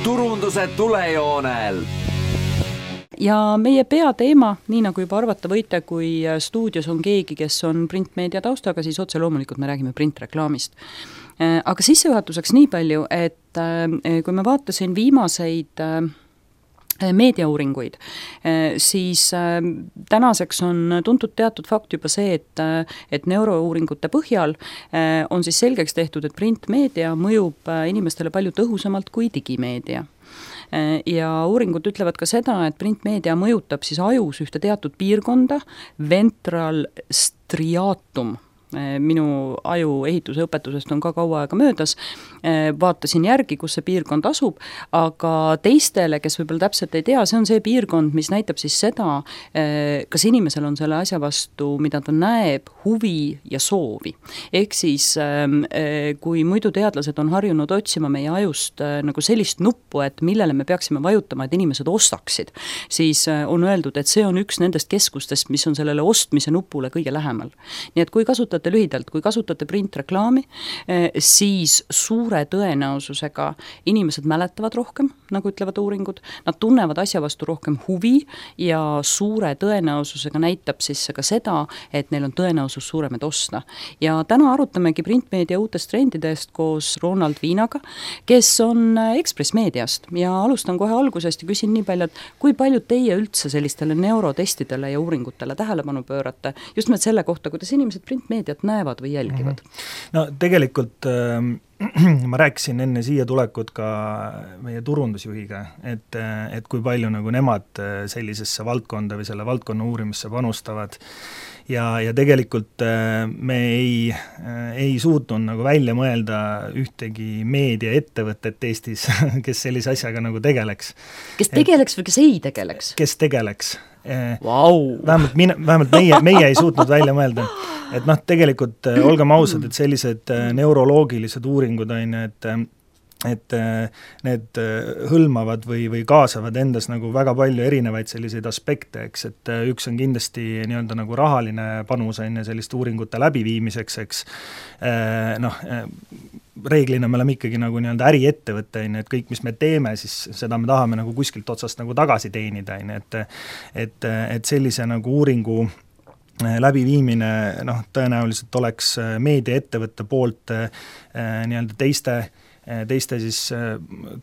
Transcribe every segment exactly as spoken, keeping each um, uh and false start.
turunduse tulejoonel. Ja meie peateema, nii nagu juba arvata võite, kui stuudios on keegi, kes on printmeedia taustaga, siis otse loomulikult me räägime printreklaamist. Aga sissejuhatuseks nii palju, et kui ma vaatasin viimaseid meediauuringuid, siis tänaseks on tuntud teatud fakt juba see, et, et neurouuringute põhjal on siis selgeks tehtud, et printmeedia mõjub inimestele palju tõhusamalt kui digimeedia. Ja uuringud ütlevad ka seda, et printmeedia mõjutab siis ajus ühte teatud piirkonda, ventral striatum, minu aju ehituse õpetusest on ka kaua aega möödas, vaatasin järgi, kus see piirkond asub, aga teistele, kes võib-olla täpselt ei tea, see on see piirkond, mis näitab siis seda, kas inimesel on selle asja vastu, mida ta näeb, huvi ja soovi. Ehk siis, kui muidu teadlased on harjunud otsima meie ajust nagu sellist nuppu, et millele me peaksime vajutama, et inimesed ostaksid, siis on öeldud, et see on üks nendest keskustest, mis on sellele ostmise nupule kõige lähemal. Nii et kui kasutate lühidalt, kui kasutate printreklaami, siis suure tõenäosusega inimesed mäletavad rohkem, nagu ütlevad uuringud, nad tunnevad asja vastu rohkem huvi ja suure tõenäosusega näitab siis ka seda, et neil on tõenäosus suurem, et osta. Ja täna arutamegi printmeedia uutest trendidest koos Ronald Viinaga, kes on Ekspress Meediast ja alustan kohe algusest ja küsin nii palju, et kui palju teie üldse sellistele neurotestidele ja uuringutele tähelepanu pöörate, just nimelt selle kohta, kuidas inimesed printmeediat näevad või jälgivad? No tegelikult äh, ma rääkisin enne siia tulekut ka meie turundusjuhiga, et, et kui palju nagu nemad sellisesse valdkonda või selle valdkonna uurimisse panustavad. Ja, ja tegelikult me ei, ei suutnud nagu välja mõelda ühtegi meediaettevõtet Eestis, kes sellise asjaga nagu tegeleks. Kes tegeleks või kes ei tegeleks? Kes tegeleks. Wow. Vähemalt, mine, vähemalt meie, meie ei suutnud välja mõelda, et noh, tegelikult olgem ausad, et sellised neuroloogilised uuringud on, et et need hõlmavad või, või kaasavad endas nagu väga palju erinevaid selliseid aspekte, eks, et üks on kindlasti nii-öelda nagu rahaline panus enne selliste uuringute läbiviimiseks, eks, noh, reeglina me oleme ikkagi nagu nii-öelda äriettevõte, et kõik, mis me teeme, siis seda me tahame nagu kuskilt otsast nagu tagasi teenida, et, et, et sellise nagu uuringu läbiviimine, noh, tõenäoliselt oleks meediaettevõtte poolt nii-öelda teiste teiste siis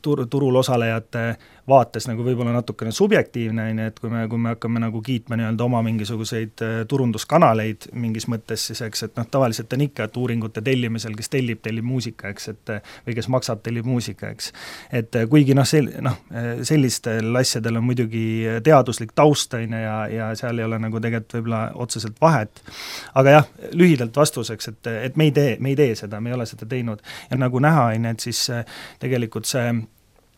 tur, turul osalejate vaates nagu võib-olla natukene subjektiivne, et kui me, kui me hakkame nagu kiitma nii-öelda oma mingisuguseid turunduskanaleid mingis mõttes, siis eks, et noh, tavaliselt on ikka, et uuringute tellimisel, kes tellib, tellib muusika, eks, et või kes maksab, tellib muusika, eks. Et kuigi noh, sel, noh, sellistel asjadel on muidugi teaduslik taustaine ja, ja seal ei ole nagu tegelikult võib-olla otseselt vahet. Aga jah, lühidalt vastuseks, et, et me ei tee, me ei tee seda, me ei ole seda teinud. Ja nagu näha, et siis tegelikult see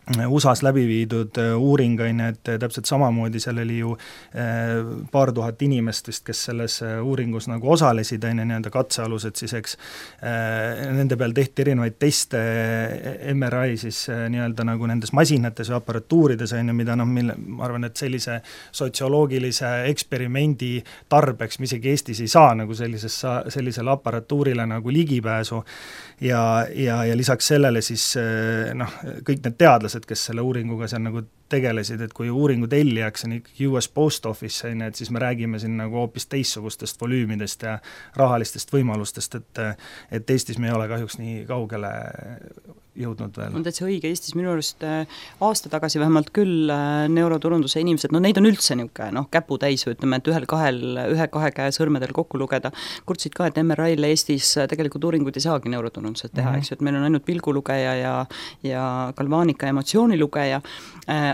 U S A-s läbi viidud uuring, et täpselt samamoodi seal oli ju paar tuhat inimestest, kes selles uuringus nagu osalesid, nii-öelda katsealused siis, eks, nende peal tehti erinevaid teste, M R I siis nii-öelda nagu nendes masinates ja aparatuurides, mida noh, mille, ma arvan, et sellise sotsioloogilise eksperimendi tarbeks, mis isegi Eestis ei saa nagu sellisesse, sellisele aparatuurile nagu ligipääsu ja, ja, ja lisaks sellele siis noh, kõik need teadlased, kes selle uuringuga seal nagu tegelesid, et kui uuringu tellijaks on ikkagi U S Post Office, et siis me räägime siin nagu hoopis teissugustest volüümidest ja rahalistest võimalustest, et, et Eestis me ei ole kahjuks nii kaugele jõudnud veel. On täitsa õige, Eestis minu arust aasta tagasi vähemalt küll neuroturunduse inimesed, no neid on üldse niuke, noh, käputäis või ütleme, et ühel kahel, ühe kahe käe sõrmedel kokku lugeda, kurtsid ka, et M R I-le Eestis tegelikult uuringuid ei saagi neuroturundused teha, mm-hmm. eks ju, et meil on ainult pilgulugeja ja, ja galvaanika emotsioonilugeja,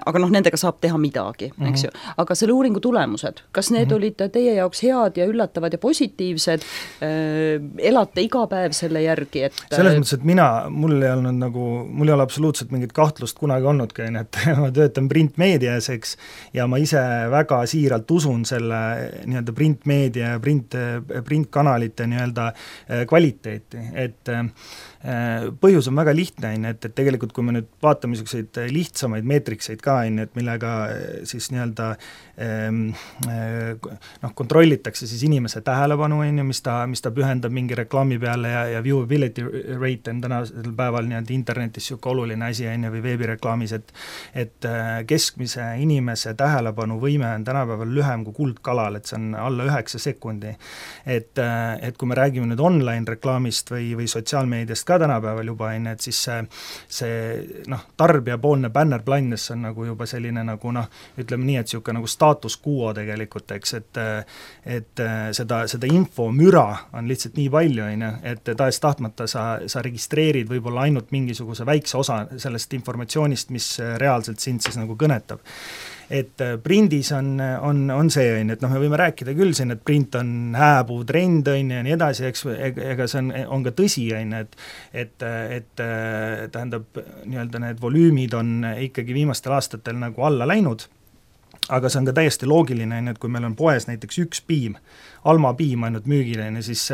aga noh, nendega saab teha midagi, mm-hmm. eks ju. Aga selle uuringu tulemused, kas need mm-hmm. olid teie jaoks head ja üllatavad ja positiivsed, elate iga päev selle järgi, et selles mõttes, et mina, mul ei olnud nagu nagu, mul ei ole absoluutselt mingit kahtlust kunagi olnudki, et ma töötan printmeedias, eks, ja ma ise väga siiralt usun selle nii-öelda printmeedia ja print, printkanalite nii-öelda kvaliteeti, et põhjus on väga lihtne, et, et tegelikult kui me nüüd vaatame niisuguseid lihtsamaid meetrikseid ka, et millega siis nii-öelda noh, kontrollitakse siis inimese tähelepanu, mis ta, mis ta pühendab mingi reklaami peale ja, ja viewability rate on tänasel päeval nii-öelda internetis niisugune oluline asi või veebireklaamis, et et keskmise inimese tähelepanu võime on tänapäeval lühem kui kuldkalal, et see on alla üheksa sekundi. Et, et kui me räägime nüüd online reklaamist või, või sotsiaalmeediast ka tänapäeval juba, et siis see, see noh, tarbijapoolne bannerblindness on nagu juba selline nagu noh, ütleme nii, et niisugune nagu status quo tegelikult, eks, et et seda, seda infomüra on lihtsalt nii palju, et tahes tahtmata sa, sa registreerid võib-olla ainult mingisuguse väikse osa sellest informatsioonist, mis reaalselt sind siis nagu kõnetab. Et prindis on, on, on see, et noh, me võime rääkida küll siin, et print on hääbuv trend, on ja nii edasi, eks, ega see on, on ka tõsi, et, et, et tähendab, nii-öelda need volüümid on ikkagi viimastel aastatel nagu alla läinud, aga see on ka täiesti loogiline, et kui meil on poes näiteks üks piim, Alma piim ainult müügiline, siis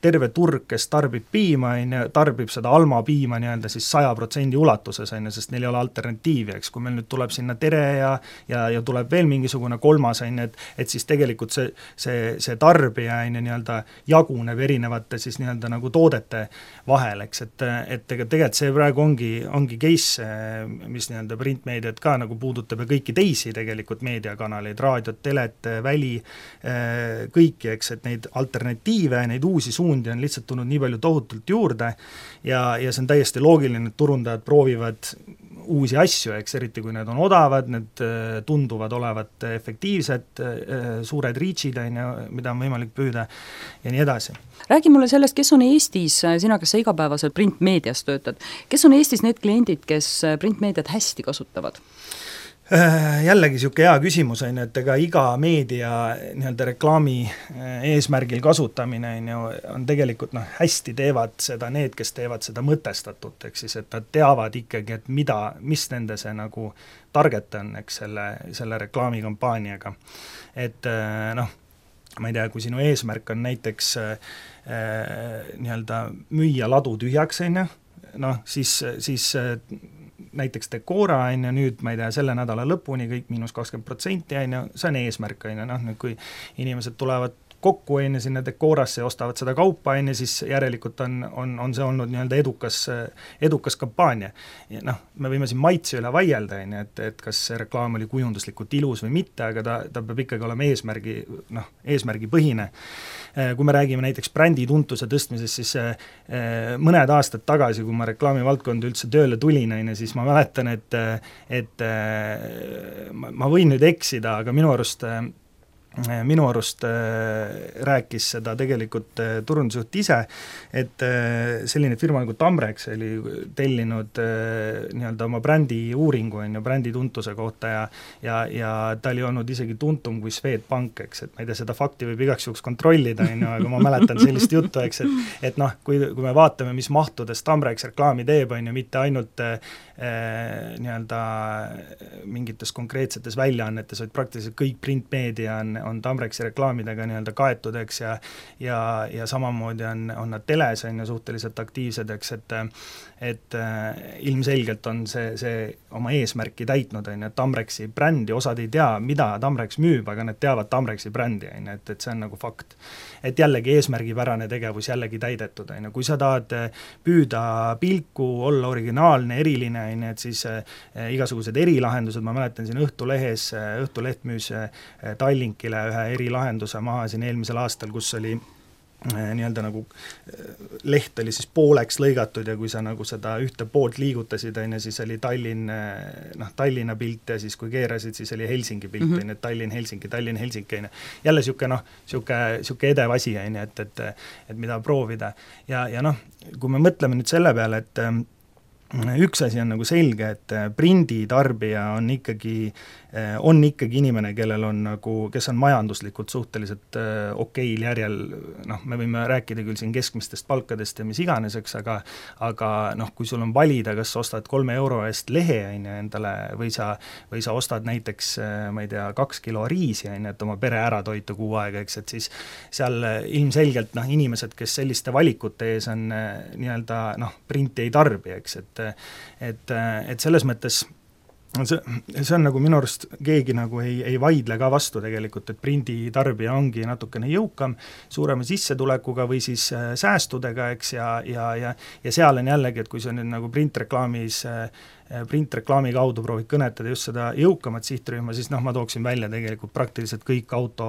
terve turg, kes tarbib piima, tarbib seda Alma piima nii-öelda siis saja protsendi ulatuses, sest neil ei ole alternatiivi, eks, kui meil nüüd tuleb sinna Tere ja, ja, ja tuleb veel mingisugune kolmas, et, et siis tegelikult see, see, see tarbija nii-öelda jaguneb erinevate siis nii-öelda nagu toodete vahel, eks, et, et tegelikult see praegu ongi, ongi case, mis nii-öelda printmeediat ka nagu puudutab ja kõiki teisi tegelikult meediakanaleid, raadiot, telet, väli, kõiki, eks, et neid alternatiive, neid uusi suundi on lihtsalt tulnud nii palju tohutult juurde ja, ja see on täiesti loogiline, et turundajad proovivad uusi asju, eks, eriti kui need on odavad, need tunduvad olevat efektiivsed, suured reachid, mida on võimalik püüda ja nii edasi. Räägi mulle sellest, kes on Eestis, sina, kes sa igapäevaselt printmeedias töötad, kes on Eestis need kliendid, kes printmeediat hästi kasutavad? Jällegi niisugune hea küsimus, on, et ega iga meedia nii-öelda reklaami eesmärgil kasutamine on, on tegelikult noh, hästi teevad seda need, kes teevad seda mõtestatult, eks siis, et nad teavad ikkagi, et mida, mis nende see nagu target on, eks, selle, selle reklaamikampaaniaga. Et noh, ma ei tea, kui sinu eesmärk on näiteks äh, nii-öelda müüa ladu tühjaks, on, noh, siis, siis näiteks Decora on ja nüüd, ma ei tea, selle nädala lõpuni kõik miinus kakskümmend protsenti on ja see on eesmärk on ja noh, nüüd kui inimesed tulevad kokku enne sinna Decorasse ja ostavad seda kaupa enne, siis järelikult on, on, on see olnud nii-öelda edukas, edukas kampaania. Ja noh, me võime siin maitse üle vaielda, et, et kas see reklaam oli kujunduslikult ilus või mitte, aga ta, ta peab ikkagi olema eesmärgi, noh, eesmärgi põhine. Kui me räägime näiteks brändi tuntuse tõstmisest, siis mõned aastad tagasi, kui ma reklaamivaldkonda üldse tööle tulin, siis ma mäletan, et, et ma võin nüüd eksida, aga minu arust minu arust rääkis seda tegelikult turundusjuht ise, et selline firma nagu Tamrex oli tellinud nii-öelda oma brändi uuringu on ju, brändi tuntuse kohta ja, ja, ja ta oli olnud isegi tuntum kui Swedbank, eks, et ma ei tea, seda fakti võib igaks juhuks kontrollida, on ju, aga ma mäletan sellist juttu, eks, et, et noh, kui, kui me vaatame, mis mahtudes Tamrex reklaami teeb, on ju, mitte ainult eh, nii-öelda mingites konkreetsetes väljaannetes, vaid praktiliselt kõik printmeedia on on Tamrexi reklaamidega nii-öelda kaetud, eks, ja, ja, ja samamoodi on, on nad teles, on ju suhteliselt aktiivsed, eks, et et äh, ilmselgelt on see, see oma eesmärki täitnud, on ju, et Tamrexi brändi, osad ei tea, mida Tamrex müüb, aga nad teavad Tamrexi brändi, on ju, et, et see on nagu fakt. Et jällegi eesmärgipärane tegevus jällegi täidetud, on ju, kui sa tahad püüda pilku, olla originaalne, eriline, on ju, et siis äh, igasugused erilahendused, ma mäletan siin Õhtulehes, Õhtuleht müüs Tallinkile ühe erilahenduse maha siin eelmisel aastal, kus oli nii-öelda nagu leht oli siis pooleks lõigatud ja kui sa nagu seda ühte poolt liigutasid, on ju, siis oli Tallinn, noh, Tallinna pilt ja siis kui keerasid, siis oli Helsingi pilt, on ju, et Tallinn, Helsingi, Tallinn, Helsingi, on ju. Jälle niisugune, noh, niisugune edev asi, on ju, et, et, et mida proovida. Ja, ja noh, kui me mõtleme nüüd selle peale, et üks asi on nagu selge, et prinditarbija on ikkagi, on ikkagi inimene, kellel on nagu, kes on majanduslikult suhteliselt okeil järjel, noh, me võime rääkida küll siin keskmistest palkadest ja mis iganeseks, aga aga noh, kui sul on valida, kas ostad kolme euro eest lehe endale või sa, või sa ostad näiteks, ma ei tea, kaks kilo riisi, et oma pere ära toita kuu aega, eks, et siis seal ilmselgelt noh, inimesed, kes selliste valikute ees on nii-öelda noh, printi ei tarbi, eks, et et, et selles mõttes see, see on nagu minu arust keegi nagu ei, ei vaidle ka vastu tegelikult, et prinditarbija ongi natukene jõukam, suurema sissetulekuga või siis säästudega, eks, ja, ja, ja, ja seal on jällegi, et kui sa nüüd nagu printreklaamis printreklaami kaudu proovid kõnetada just seda jõukamat sihtrühma, siis noh, ma tooksin välja tegelikult praktiliselt kõik auto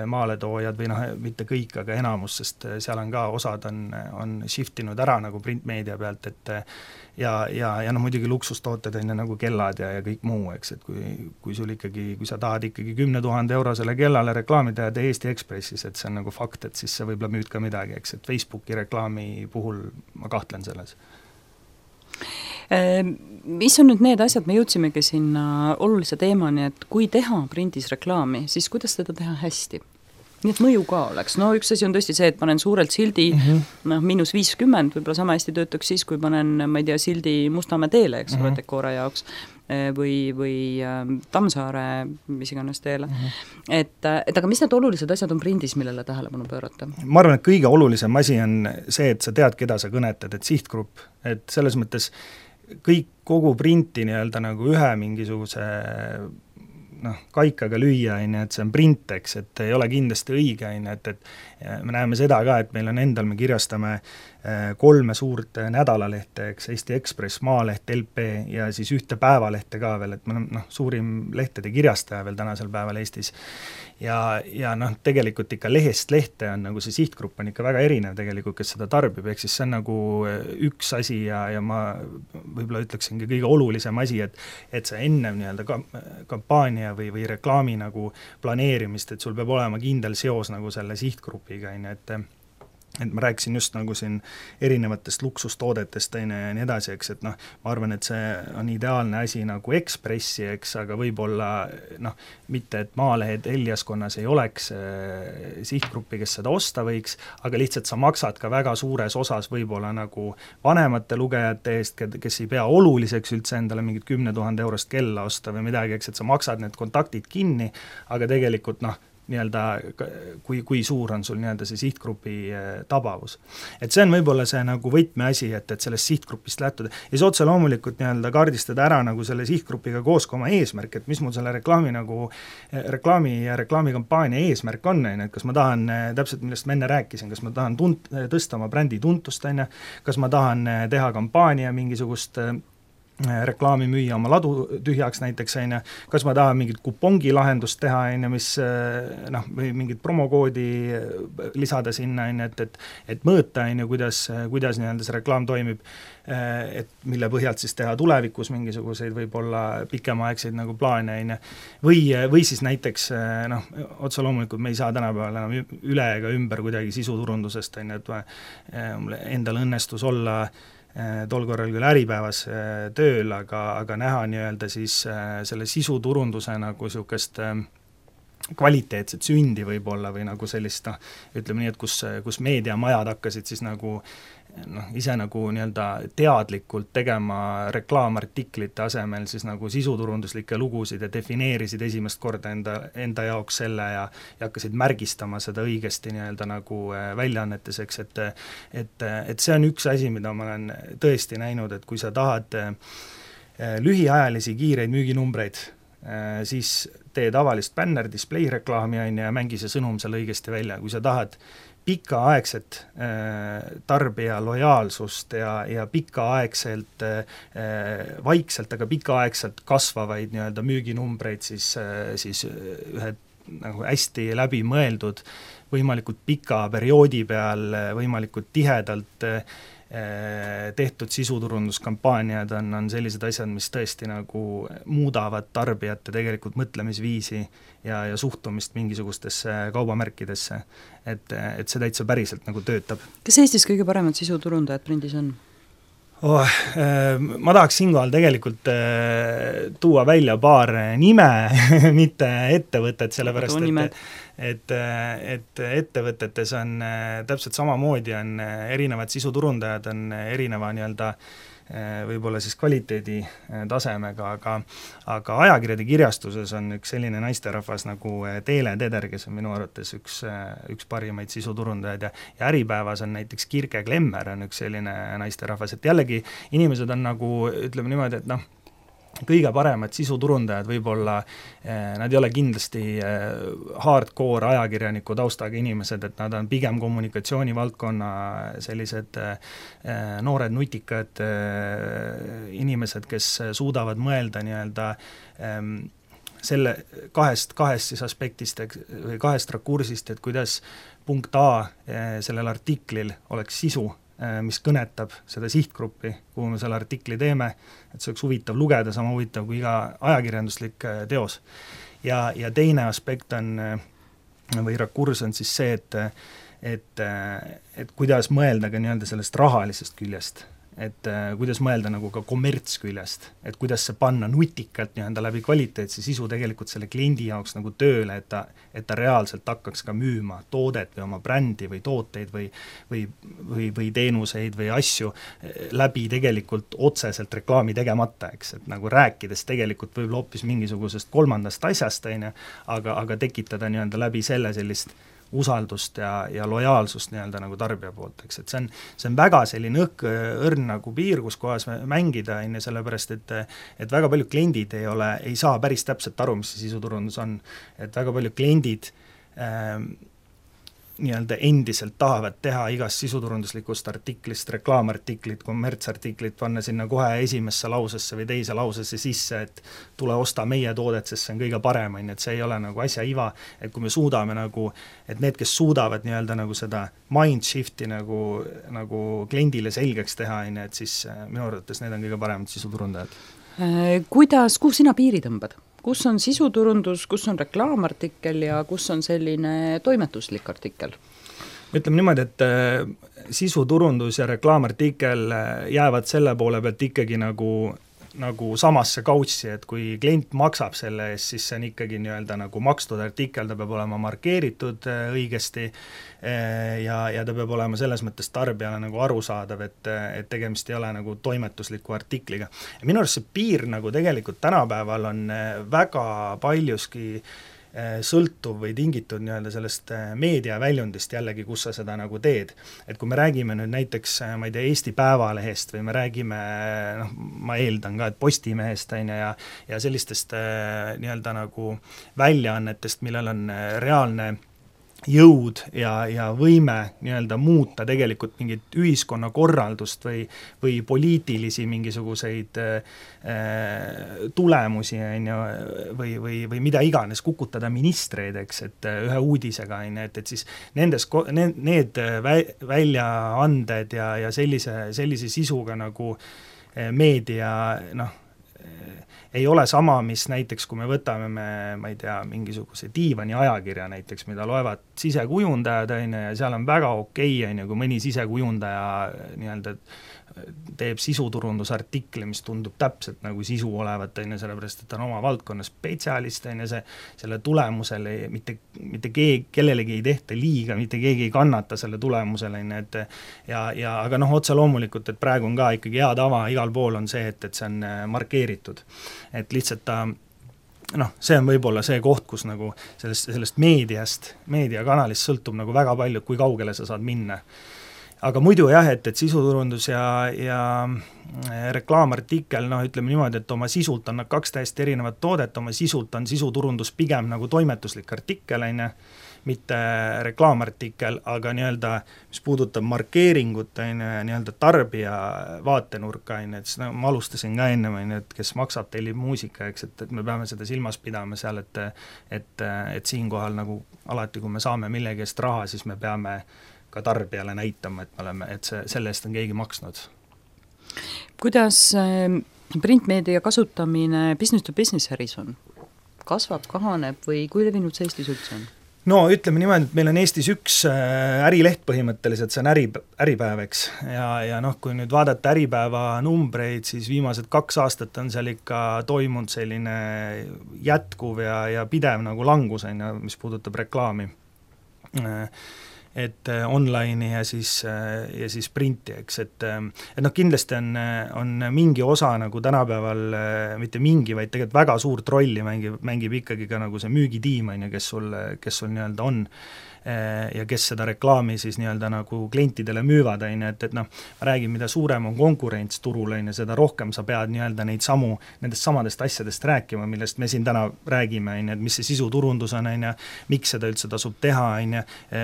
maaletoojad või noh, mitte kõik, aga enamus, sest seal on ka, osad on, on shiftinud ära nagu printmeedia pealt, et ja, ja, ja noh, muidugi luksustooted on nagu kellad ja, ja kõik muu, eks, et kui, kui sul ikkagi, kui sa tahad ikkagi kümne tuhande eurosele kellale reklaami teha Eesti Ekspressis, et see on nagu fakt, et siis sa võib-olla müüd ka midagi, eks, et Facebooki reklaami puhul ma kahtlen selles. Mis on nüüd need asjad, me jõudsimegi sinna olulise teemani, et kui teha prindis reklaami, siis kuidas teda teha hästi? Nii et mõju ka oleks. No üks asi on tõesti see, et panen suurelt sildi mm -hmm. noh, miinus viiskümmend, võib-olla sama hästi töötaks siis, kui panen, ma ei tea, sildi Mustamäe teele, eks mm -hmm. ole, Dekoora jaoks või, või äh, Tammsaare mis iganes teele mm. -hmm. Et, et aga mis need olulised asjad on prindis, millele tähelepanu pöörata? Ma arvan, et kõige olulisem asi on see, et sa tead, keda sa kõnetad, et sihtgrupp, et selles mõttes kõik kogu printi nii-öelda nagu ühe mingisuguse noh, kaikaga lüüa, et see on print, eks, et ei ole kindlasti õige, et, et me näeme seda ka, et meil on endal, me kirjastame kolme suurt nädalalehte, eks, Eesti Ekspress, Maaleht, L P ja siis ühte päevalehte ka veel, et me oleme noh, suurim lehtede kirjastaja veel tänasel päeval Eestis. Ja, ja noh, tegelikult ikka lehest lehte on nagu see sihtgrupp on ikka väga erinev tegelikult, kes seda tarbib, ehk siis see on nagu üks asi ja, ja ma võib-olla ütleksingi kõige olulisem asi, et, et see ennem nii-öelda ka, kampaania või, või reklaami nagu planeerimist, et sul peab olema kindel seos nagu selle sihtgrupiga, et et ma rääkisin just nagu siin erinevatest luksustoodetest ja nii edasi, eks, et noh, ma arvan, et see on ideaalne asi nagu Ekspressi, eks, aga võib-olla noh, mitte et Maalehed Eliaskonnas ei oleks sihtgruppi, kes seda osta võiks, aga lihtsalt sa maksad ka väga suures osas võib-olla nagu vanemate lugejate eest, kes ei pea oluliseks üldse endale mingit kümne tuhande eurost kella osta või midagi, eks, et sa maksad need kontaktid kinni, aga tegelikult noh, nii-öelda, kui, kui suur on sul nii-öelda see sihtgrupi tabavus. Et see on võib-olla see nagu võtmeasi, et, et sellest sihtgrupist lähtuda. Ja siis otse loomulikult nii-öelda kaardistada ära nagu selle sihtgrupiga koos ka oma eesmärk, et mis mul selle reklaami nagu, reklaami ja reklaamikampaania eesmärk on, et kas ma tahan, täpselt millest ma enne rääkisin, kas ma tahan tunt, tõsta oma brändi tuntust, kas ma tahan teha kampaania mingisugust reklaami müüa oma ladu tühjaks näiteks, aine, kas ma tahan mingit kupongi lahendust teha, aine, mis noh, või mingit promokoodi lisada sinna, aine, et, et, et mõõta, aine, kuidas, kuidas nii-öelda see reklaam toimib, et mille põhjalt siis teha tulevikus mingisuguseid võib-olla pikemaaegseid nagu plaane, aine, või, või siis näiteks noh, otse loomulikult me ei saa tänapäeval enam üle ega ümber kuidagi sisuturundusest, aine, et endal õnnestus olla tol korral küll Äripäevas tööl, aga, aga näha nii-öelda siis selle sisuturunduse nagu niisugust kvaliteetset sündi võib-olla või nagu sellist, noh, ütleme nii, et kus, kus meediamajad hakkasid siis nagu noh, ise nagu nii-öelda teadlikult tegema reklaamartiklite asemel siis nagu sisuturunduslikke lugusid ja defineerisid esimest korda enda, enda jaoks selle ja, ja hakkasid märgistama seda õigesti nii-öelda nagu väljaannetes, eks, et et, et see on üks asi, mida ma olen tõesti näinud, et kui sa tahad lühiajalisi kiireid müüginumbreid, siis tee tavalist bänner, display reklaami ja mängi see sõnum seal õigesti välja, kui sa tahad pikaaegset äh, tarbija lojaalsust ja, ja pikaaegselt äh, vaikselt, aga pikaaegselt kasvavaid nii-öelda müüginumbreid, siis, äh, siis ühed nagu hästi läbi mõeldud, võimalikult pika perioodi peal, võimalikult tihedalt äh, tehtud sisuturunduskampaaniad on, on sellised asjad, mis tõesti nagu muudavad tarbijate tegelikult mõtlemisviisi ja, ja suhtumist mingisugustesse kaubamärkidesse, et, et see täitsa päriselt nagu töötab. Kas Eestis kõige paremad sisuturundajad prindis on? Oh, ma tahaks siinkohal tegelikult tuua välja paar nime, mitte ettevõtet, sellepärast et, et, et ettevõtetes on täpselt samamoodi, on erinevad sisuturundajad, on erineva nii-öelda võib-olla siis kvaliteedi tasemega, aga, aga ajakirjade kirjastuses on üks selline naisterahvas nagu Teele Teder, kes on minu arvates üks, üks parimaid sisuturundajaid ja, ja Äripäevas on näiteks Kirke Klemmer on üks selline naisterahvas, et jällegi inimesed on nagu, ütleme niimoodi, et noh, kõige paremad sisuturundajad võib-olla, nad ei ole kindlasti hardcore ajakirjaniku taustaga inimesed, et nad on pigem kommunikatsioonivaldkonna sellised noored nutikad inimesed, kes suudavad mõelda nii-öelda selle kahest, kahest siis aspektist või kahest rakursist, et kuidas punkt A sellel artiklil oleks sisu, mis kõnetab seda sihtgruppi, kuhu me selle artikli teeme, et see oleks huvitav lugeda, sama huvitav kui iga ajakirjanduslik teos. Ja, ja teine aspekt on, või rakurs on siis see, et, et, et kuidas mõelda ka nii-öelda sellest rahalisest küljest, et äh, kuidas mõelda nagu ka kommertsküljest, et kuidas see panna nutikalt nii-öelda läbi kvaliteetse sisu tegelikult selle kliendi jaoks nagu tööle, et ta, et ta reaalselt hakkaks ka müüma toodet või oma brändi või tooteid või, või, või, või teenuseid või asju läbi tegelikult otseselt reklaami tegemata, eks, et nagu rääkides tegelikult võib hoopis mingisugusest kolmandast asjast, on ju, aga, aga tekitada nii-öelda läbi selle sellist usaldust ja, ja lojaalsust nii-öelda nagu tarbija poolt, eks, et see on, see on väga selline õhk, õrn nagu piir, kus kohas mängida, enne sellepärast, et et väga paljud kliendid ei ole, ei saa päris täpselt aru, mis see sisuturundus on, et väga paljud kliendid ähm, nii-öelda endiselt tahavad teha igast sisuturunduslikust artiklist reklaamartiklit, kommertsartiklit, panna sinna kohe esimesse lausesse või teise lausesse sisse, et tule osta meie toodet, sest see on kõige parem, et see ei ole nagu asja iva, et kui me suudame nagu, et need, kes suudavad nii-öelda nagu seda mind shifti nagu, nagu kliendile selgeks teha, et siis minu arvates need on kõige paremad sisuturundajad. Kuidas, kuhu sina piiri tõmbad? Kus on sisuturundus, kus on reklaamartikkel ja kus on selline toimetuslik artikkel? Ütleme niimoodi, et sisuturundus ja reklaamartikkel jäävad selle poole pealt ikkagi nagu, nagu samasse kautsi, et kui klient maksab selle eest, siis see on ikkagi nii-öelda nagu makstud artikkel, ta peab olema markeeritud õigesti ja, ja ta peab olema selles mõttes tarbijale nagu arusaadav, et, et tegemist ei ole nagu toimetusliku artikliga. Ja minu arust see piir nagu tegelikult tänapäeval on väga paljuski sõltuv või tingitud nii-öelda sellest meediaväljundist jällegi, kus sa seda nagu teed. Et kui me räägime nüüd näiteks, ma ei tea, Eesti Päevalehest või me räägime, noh, ma eeldan ka, et Postimehest on ja, ja sellistest nii-öelda nagu väljaannetest, millel on reaalne jõud ja, ja võime nii-öelda muuta tegelikult mingit ühiskonnakorraldust või, või poliitilisi mingisuguseid äh, tulemusi on ju, või, või, või mida iganes, kukutada ministreid, eks, et ühe uudisega on ju, et, et siis nendes, need, need väljaanded ja, ja sellise, sellise sisuga nagu meedia, noh, ei ole sama, mis näiteks, kui me võtame me, ma ei tea, mingisuguse diivani ajakirja näiteks, mida loevad sisekujundajad, on ju, ja seal on väga okei, on ju, kui mõni sisekujundaja nii-öelda teeb sisuturundusartikli, mis tundub täpselt nagu sisu olevat, on ju, sellepärast, et ta on oma valdkonna spetsialist, on ju, see, selle tulemusele mitte, mitte keegi, kellelegi ei tehta liiga, mitte keegi ei kannata selle tulemusele, on ju, et ja, ja aga noh, otse loomulikult, et praegu on ka ikkagi hea tava, igal pool on see, et, et see on markeeritud. Et lihtsalt ta noh, see on võib-olla see koht, kus nagu sellest, sellest meediast, meediakanalist sõltub nagu väga palju, kui kaugele sa saad minna. Aga muidu jah, et, et sisuturundus ja, ja reklaamartikkel, noh, ütleme niimoodi, et oma sisult on nad kaks täiesti erinevat toodet, oma sisult on sisuturundus pigem nagu toimetuslik artikkel, on ju, mitte reklaamartikkel, aga nii-öelda, mis puudutab markeeringut, on ju, nii-öelda tarbija vaatenurka, on ju, et siis no, ma alustasin ka enne, on ju, et kes maksab, tellib muusika, eks, et, et me peame seda silmas pidama seal, et, et, et siinkohal nagu alati, kui me saame millegi eest raha, siis me peame ka tarbijale näitama, et me oleme, et see, selle eest on keegi maksnud. Kuidas printmeedia kasutamine business to business äris on? Kasvab, kahaneb või kui levinud see Eestis üldse on? no ütleme niimoodi, et meil on Eestis üks ärileht põhimõtteliselt, see on äri, äripäev, eks, ja, ja noh, kui nüüd vaadata Äripäeva numbreid, siis viimased kaks aastat on seal ikka toimunud selline jätkuv ja, ja pidev nagu langus, on ju, mis puudutab reklaami. Et online'i ja siis, ja siis printi, eks, et et noh, kindlasti on, on mingi osa nagu tänapäeval, mitte mingi, vaid tegelikult väga suurt rolli mängib, mängib ikkagi ka nagu see müügitiim, on ju, kes sul, kes sul nii-öelda on ja kes seda reklaami siis nii-öelda nagu klientidele müüvad, on ju, et, et noh, ma räägin, mida suurem on konkurents turul, on ju, seda rohkem sa pead nii-öelda neid samu, nendest samadest asjadest rääkima, millest me siin täna räägime, on ju, et mis see sisuturundus on, on ju, miks seda üldse tasub teha, on ju,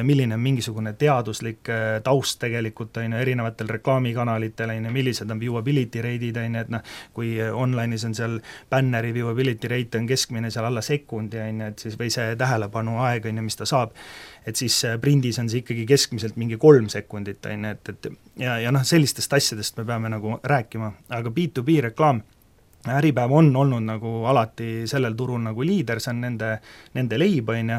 milline on mingisugune teaduslik taust tegelikult, on ju, erinevatel reklaamikanalitel, on ju, millised on viewability rate'id, on ju, et noh, kui online'is on seal banneri viewability rate on keskmine seal alla sekundi, on ju, et siis või see tähelepanu aeg, on ju, mis ta saab, et siis prindis on see ikkagi keskmiselt mingi kolm sekundit, on ju, et, et ja, ja noh, sellistest asjadest me peame nagu rääkima, aga B to B reklaam, Äripäev on olnud nagu alati sellel turul nagu liider, see on nende, nende leib, on ju,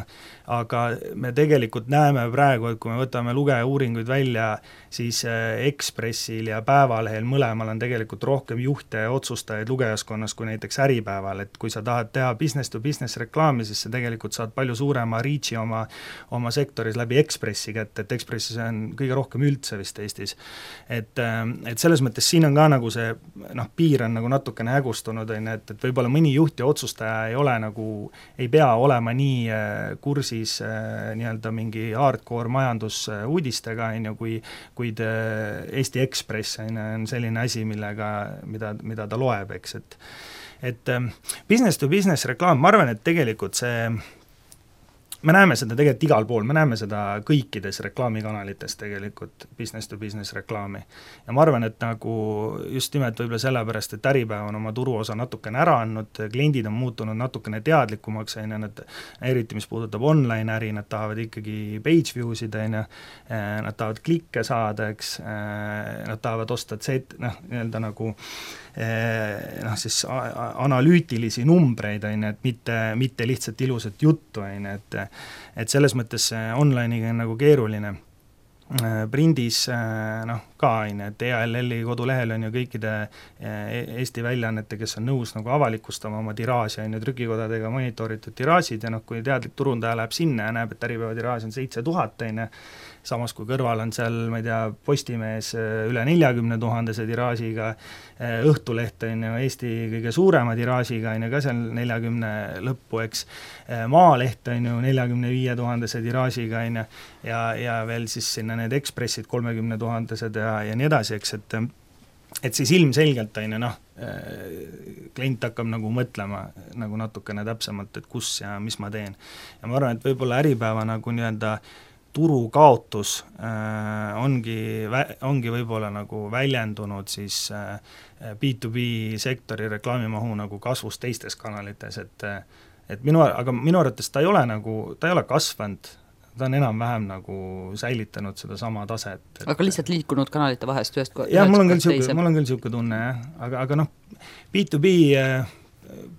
aga me tegelikult näeme praegu, et kui me võtame lugejauuringuid välja, siis Ekspressil ja Päevalehel mõlemal on tegelikult rohkem juhte ja otsustajaid lugejaskonnas kui näiteks Äripäeval, et kui sa tahad teha business to business reklaami, siis sa tegelikult saad palju suurema reach'i oma, oma sektoris läbi Ekspressi kätte, et Ekspressis on kõige rohkem üldse vist Eestis. Et, et selles mõttes siin on ka nagu see, noh, piir on nagu natukene hägus, on, et, et võib-olla mõni juht ja otsustaja ei ole nagu, ei pea olema nii kursis nii-öelda mingi hardcore majandusuudistega, on ju, kui, kuid Eesti Ekspress on, on selline asi, millega, mida, mida ta loeb, eks, et et business to business reklaam, ma arvan, et tegelikult see me näeme seda tegelikult igal pool, me näeme seda kõikides reklaamikanalites tegelikult, business to business reklaami. Ja ma arvan, et nagu just nimelt võib-olla sellepärast, et Äripäev on oma turuosa natukene ära andnud, kliendid on muutunud natukene teadlikumaks, on ju, nad eriti, mis puudutab online äri, nad tahavad ikkagi page view'sid, on ju, nad tahavad klikke saada, eks, nad tahavad osta set, noh, nii-öelda nagu noh, siis analüütilisi numbreid, on ju, et mitte, mitte lihtsalt ilusat juttu, on ju, et et selles mõttes online'iga on nagu keeruline. Prindis noh, ka on, et E A L L-i kodulehel on ju kõikide Eesti väljaannete, kes on nõus nagu avalikustama oma tiraaži, on ju, trükikodadega monitoritud tiraažid ja noh, kui teadlik turundaja läheb sinna ja näeb, et Äripäeva tiraaž on seitse tuhat, on ju, samas kui kõrval on seal, ma ei tea, Postimees üle neljakümne tuhandese tiraažiga, Õhtuleht on ju Eesti kõige suurema tiraažiga, on ju, ka seal neljakümne lõppu, eks, Maaleht on ju neljakümne viie tuhandese tiraažiga, on ju, ja, ja veel siis sinna need Ekspressid kolmekümne tuhandesed ja, ja nii edasi, eks, et et siis ilmselgelt on ju, noh, klient hakkab nagu mõtlema nagu natukene täpsemalt, et kus ja mis ma teen. Ja ma arvan, et võib-olla Äripäeva nagu nii-öelda turukaotus äh, ongi, ongi võib-olla nagu väljendunud siis äh, B to B sektori reklaamimahu nagu kasvus teistes kanalites, et, et minu, aga minu arvates ta ei ole nagu, ta ei ole kasvanud, ta on enam-vähem nagu säilitanud seda sama taset. Et, aga lihtsalt liikunud kanalite vahest ühest jah, mul on küll siuke, mul on küll siuke tunne, jah, aga, aga noh, B to B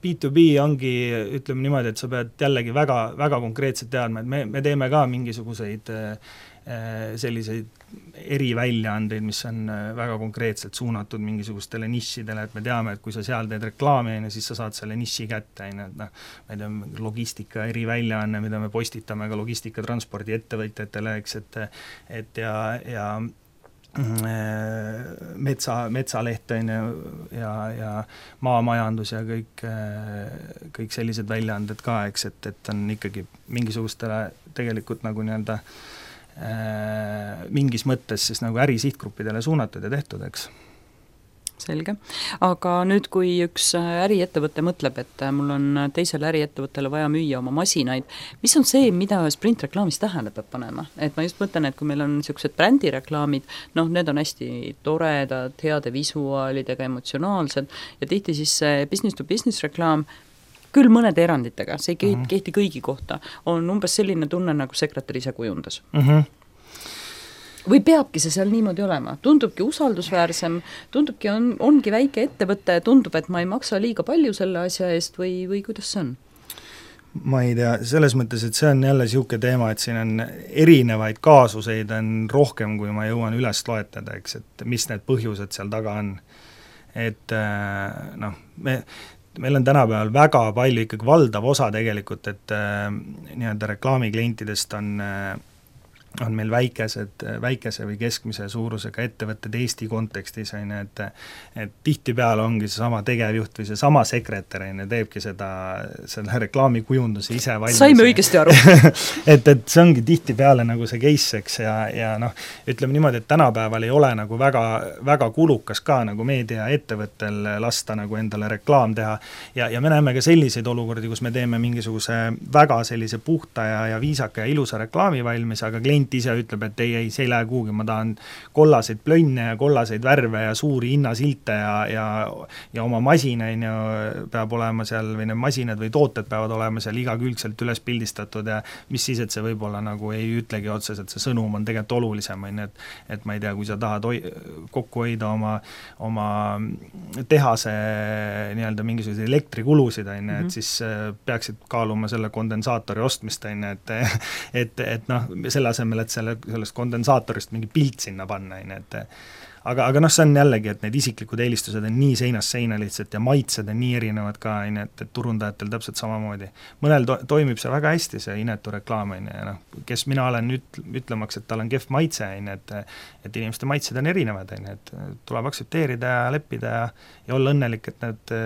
B to B ongi, ütleme niimoodi, et sa pead jällegi väga, väga konkreetselt teadma, et me, me teeme ka mingisuguseid selliseid eriväljaandeid, mis on väga konkreetselt suunatud mingisugustele nišidele, et me teame, et kui sa seal teed reklaami, siis sa saad selle niši kätte, et noh, ma ei tea, logistika eriväljaanne, mida me postitame ka logistikatranspordi ettevõtjatele, eks, et, et ja, ja metsa, metsaleht on ja, ja maamajandus ja kõik, kõik sellised väljaanded ka, eks, et, et on ikkagi mingisugustele tegelikult nagu nii-öelda mingis mõttes siis nagu ärisihtgruppidele suunatud ja tehtud, eks. Selge. Aga nüüd, kui üks äriettevõte mõtleb, et mul on teisele äriettevõttele vaja müüa oma masinaid, mis on see, mida ühes printreklaamis tähele peab panema? Et ma just mõtlen, et kui meil on niisugused brändireklaamid, noh, need on hästi toredad, heade visuaalidega, emotsionaalsed ja tihti siis business to business reklaam, küll mõnede eranditega, see ei kehti, uh-huh. kehti kõigi kohta, on umbes selline tunne, nagu sekretär ise kujundas. Uh-huh. Või peabki see seal niimoodi olema? Tundubki usaldusväärsem, tundubki, on, ongi väike ettevõte, tundub, et ma ei maksa liiga palju selle asja eest või, või kuidas see on? ma ei tea, selles mõttes, et see on jälle niisugune teema, et siin on erinevaid kaasuseid on rohkem, kui ma jõuan üles loetada, eks, et mis need põhjused seal taga on. Et noh, me, meil on tänapäeval väga palju ikkagi valdav osa tegelikult, et nii-öelda reklaamiklientidest on on meil väikesed, väikese või keskmise suurusega ettevõtted Eesti kontekstis, on ju, et et tihtipeale ongi see sama tegevjuht või see sama sekretär, on ju, teebki seda, selle reklaamikujunduse ise valmis. Saime õigesti aru. et, et see ongi tihtipeale nagu see case, eks, ja, ja noh, ütleme niimoodi, et tänapäeval ei ole nagu väga, väga kulukas ka nagu meediaettevõttel lasta nagu endale reklaam teha ja, ja me näeme ka selliseid olukordi, kus me teeme mingisuguse väga sellise puhta ja, ja viisaka ja ilusa reklaami valmis, aga klient ise ütleb, et ei, ei, see ei lähe kuhugi, ma tahan kollaseid plönne ja kollaseid värve ja suuri hinnasilte ja, ja, ja oma masina on ju, peab olema seal või need masinad või tooted peavad olema seal igakülgselt üles pildistatud ja mis siis, et see võib-olla nagu ei ütlegi otseselt, see sõnum on tegelikult olulisem, on ju, et, et ma ei tea, kui sa tahad hoi, kokku hoida oma, oma tehase nii-öelda mingisuguseid elektrikulusid, on ju, et siis peaksid kaaluma selle kondensaatori ostmist, on ju, et, et, et noh, selle asemel et selle, sellest kondensaatorist mingi pilt sinna panna, et aga, aga noh, see on jällegi, et need isiklikud eelistused on nii seinast seina lihtsalt ja maitsed on nii erinevad ka, et, et turundajatel täpselt samamoodi. Mõnel to- toimib see väga hästi, see inetu reklaam, ja noh, kes mina olen üt-, ütlemaks, et tal on kehv maitse, et, et inimeste maitsed on erinevad, et tuleb aksepteerida ja leppida ja, ja olla õnnelik, et nad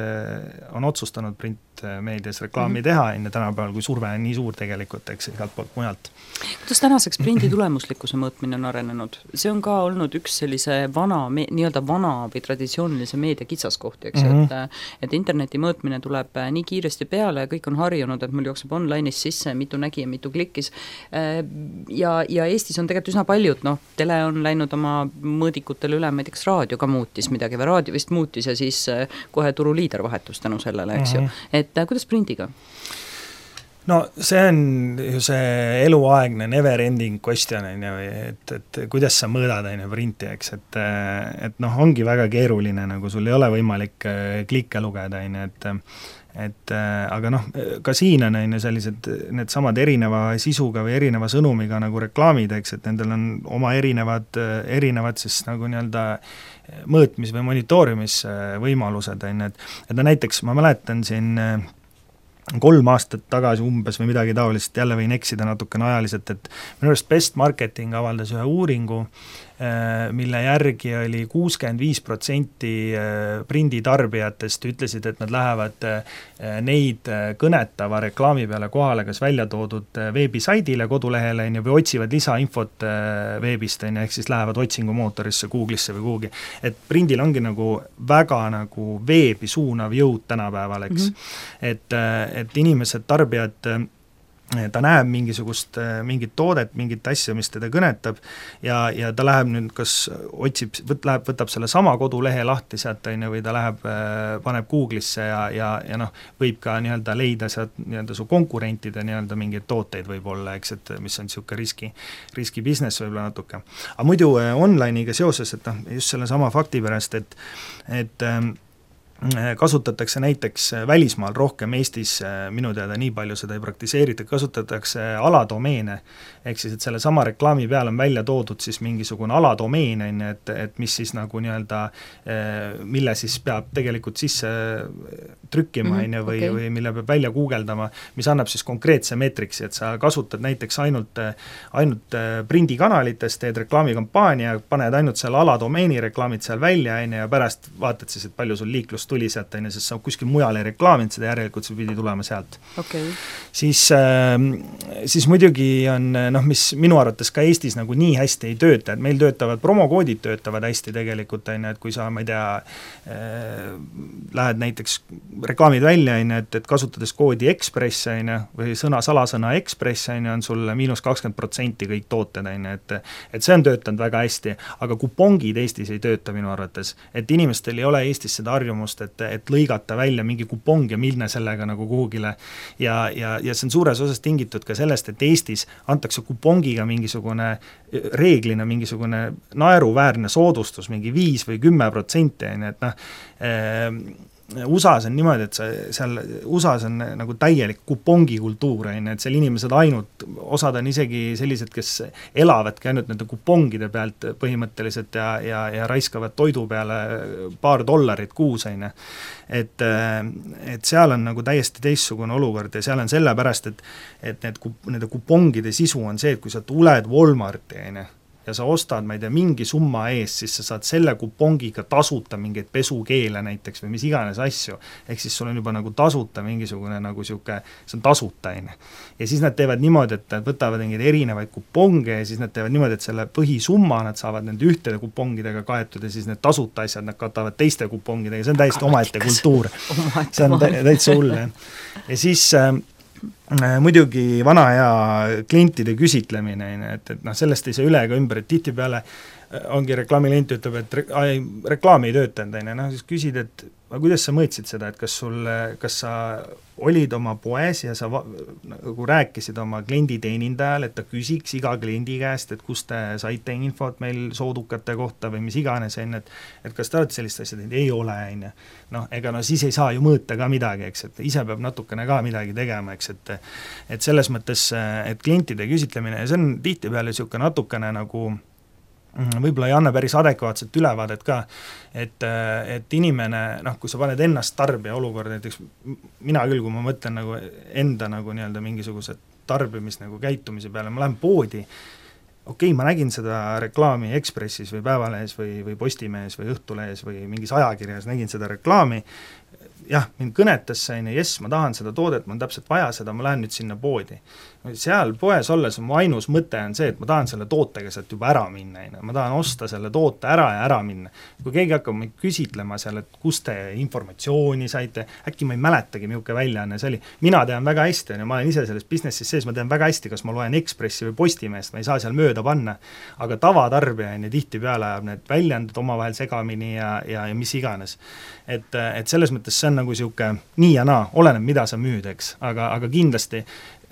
on otsustanud printmeedias reklaami mm-hmm. teha, enne tänapäeval, kui surve on nii suur tegelikult, eks igalt poolt mujalt. Kuidas tänaseks prindi tulemuslikkuse mõõtmine on arenenud? See on ka olnud üks sellise vana, nii-öelda vana või traditsioonilise meedia kitsaskohti, eks mm, -hmm. et, et interneti mõõtmine tuleb nii kiiresti peale ja kõik on harjunud, et mul jookseb online'is sisse, mitu nägi ja mitu klikkis. Ja, ja Eestis on tegelikult üsna paljud, noh, tele on läinud oma mõõdikutele üle, ma ei teks, raadio ka muutis midagi või raadio vist muutis ja siis kohe turuliider vahetus tänu sellele, eks mm -hmm. ju. Et kuidas prindiga? No see on ju see eluaegne never ending question, et, et kuidas sa mõõdad on ju printi, eks, et, et noh, ongi väga keeruline, nagu sul ei ole võimalik klikke lugeda, on ju, et et aga noh, ka siin on, on ju sellised need samad erineva sisuga või erineva sõnumiga nagu reklaamid, eks, et nendel on oma erinevad, erinevad siis nagu nii-öelda mõõtmis- või monitoorimisvõimalused, on ju, et et no näiteks ma mäletan siin kolm aastat tagasi umbes või midagi taolist, jälle võin eksida natukene ajaliselt, et minu arust Best Marketing avaldas ühe uuringu, mille järgi oli kuuskümmend viis protsenti prinditarbijatest ütlesid, et nad lähevad neid kõnetava reklaami peale kohale kas välja toodud veebisaidile, kodulehele või otsivad lisainfot veebist, ehk siis lähevad otsingumootorisse, Google'isse või kuhugi. Et prindil ongi nagu väga nagu veebi suunav jõud tänapäeval, eks. Mm-hmm. Et, et inimesed, tarbijad, ta näeb mingisugust, mingit toodet, mingit asja, mis teda kõnetab ja, ja ta läheb nüüd, kas otsib, võt, läheb, võtab selle sama kodulehe lahti sealt, või ta läheb, paneb Google'isse ja, ja, ja noh, võib ka nii-öelda leida sealt nii-öelda su konkurentide nii-öelda mingeid tooteid võib-olla, eks, et mis on niisugune riski, riski business võib-olla natuke. Aga muidu online'iga seoses, et noh, just selle sama fakti pärast, et, et kasutatakse näiteks välismaal rohkem, Eestis minu teada nii palju seda ei praktiseerita, kasutatakse aladomeene, ehk siis, et selle sama reklaami peal on välja toodud siis mingisugune aladomeen, et, et mis siis nagu nii-öelda, mille siis peab tegelikult sisse trükkima, mm -hmm, või, okay. või mille peab välja guugeldama, mis annab siis konkreetse meetriksi, et sa kasutad näiteks ainult, ainult prindikanalites, teed reklaamikampaania, paned ainult selle aladomeeni reklaamid seal välja, ja pärast vaatad siis, et palju sul liiklust tuli sealt, sest sa kuskil mujal ei reklaaminud seda, järelikult see pidi tulema sealt. Okay. Siis, siis muidugi on, noh, mis minu arvates ka Eestis nagu nii hästi ei tööta, et meil töötavad, promokoodid töötavad hästi tegelikult, et kui sa, ma ei tea, lähed näiteks reklaamid välja, et, et kasutades koodi Express, või sõna, salasõna Express, on sul miinus kakskümmend protsenti kõik tooted, et, et see on töötanud väga hästi, aga kupongid Eestis ei tööta minu arvates, et inimestel ei ole Eestis seda harjumust, et, et lõigata välja mingi kupong ja minna sellega nagu kuhugile ja, ja, ja see on suures osas tingitud ka sellest, et Eestis antakse kupongiga mingisugune reeglina mingisugune naeruväärne soodustus, mingi viis või kümme protsenti, et noh, U S A-s on niimoodi, et sa, seal U S A-s on nagu täielik kupongikultuur, et seal inimesed ainult, osad on isegi sellised, kes elavadki ainult nende kupongide pealt põhimõtteliselt ja, ja, ja raiskavad toidu peale paar dollarit kuus, on. Et, et seal on nagu täiesti teistsugune olukord ja seal on sellepärast, et, et need, nende kupongide sisu on see, et kui sa tuled Walmarti, on, ja sa ostad, ma ei tea, mingi summa ees, siis sa saad selle kupongiga tasuta mingeid pesukeele näiteks või mis iganes asju, ehk siis sul on juba nagu tasuta mingisugune nagu sihuke, see on tasuta, on. Ja siis nad teevad niimoodi, et nad võtavad mingeid erinevaid kuponge ja siis nad teevad niimoodi, et selle põhisumma nad saavad nende ühtede kupongidega kaetud ja siis need tasuta asjad nad katavad teiste kupongidega, see on täiesti omaette kultuur. See on täitsa hull, jah. Ja siis äh, muidugi vana hea klientide küsitlemine, et, et noh, sellest ei saa üle ega ümber, et tihtipeale ongi reklaamiklient ütleb, et re, ai, reklaam ei töötanud, noh siis küsid, et aga kuidas sa mõõtsid seda, et kas sul, kas sa olid oma poes ja sa va, nagu rääkisid oma klienditeenindajal, et ta küsiks iga kliendi käest, et kust te saite infot meil soodukate kohta või mis iganes, et, et kas te olete sellist asja teinud, ei ole, on. Noh, ega no siis ei saa ju mõõta ka midagi, eks, et ise peab natukene ka midagi tegema, eks, et et selles mõttes, et klientide küsitlemine, ja see on tihtipeale niisugune natukene nagu võib-olla ei anna päris adekvaatset ülevaadet ka, et, et inimene, noh, kui sa paned ennast tarbija olukorda, näiteks mina küll, kui ma mõtlen nagu enda nagu nii-öelda mingisuguse tarbimis nagu käitumise peale, ma lähen poodi, okei okay,, ma nägin seda reklaami Ekspressis või Päevalehes või, või Postimehes või Õhtulehes või mingis ajakirjas, nägin seda reklaami, jah, mind kõnetas see, jess, ma tahan seda toodet, ma on täpselt vaja seda, ma lähen nüüd sinna poodi. Seal poes olles mu ainus mõte on see, et ma tahan selle tootega sealt juba ära minna, ma tahan osta selle toote ära ja ära minna. Kui keegi hakkab meid küsitlema seal, et kust te informatsiooni saite, äkki ma ei mäletagi, milline väljaanne see oli. Mina tean väga hästi, ja ma olen ise selles businessis sees, ma tean väga hästi, kas ma loen Ekspressi või Postimeest, ma ei saa seal mööda panna, aga tavatarbija on ja tihtipeale ajab need väljandid omavahel segamini ja, ja, ja mis iganes. Et, et selles mõttes see on nagu sihuke nii ja naa, oleneb, mida sa müüd, eks, aga, aga kindlasti